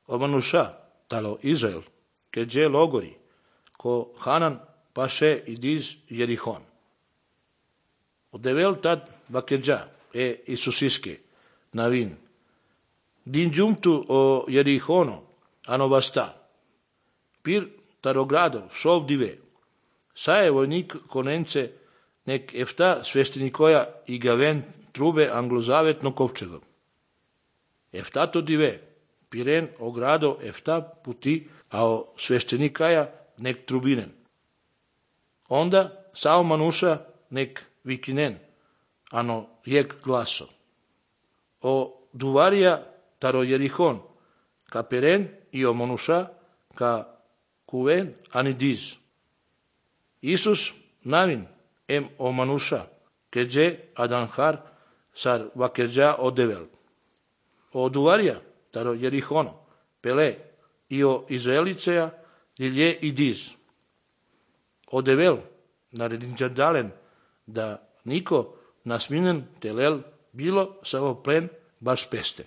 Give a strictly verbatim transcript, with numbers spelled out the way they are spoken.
o manusha talo Izrael, che je logori, ko Hanan pashe idiz Jerichon. O devel tad vakedja e Isusiske navin. Din giuntu o Jerichono ano vasta. Pir tarogrado šov dive. Saje vojnik konence nek efta sveštenikoja i gaven trube anglozavetno kovčegom. Efta to dive. Piren ogrado efta puti, a o sveštenikaja nek trubinen. Onda sao manuša nek vikinen, ano jek glaso. O duvarija taro Jerichon, ka peren i o manuša ka kuven anidiz. Isus navin em o manusha, keđe adanhar sar vakedja o devel. O duvarja taro Jerichono, pele i o Izraeliceja lilje idiz. O devel naredinđadalen da niko nasminen telel bilo sa o plen baš peste.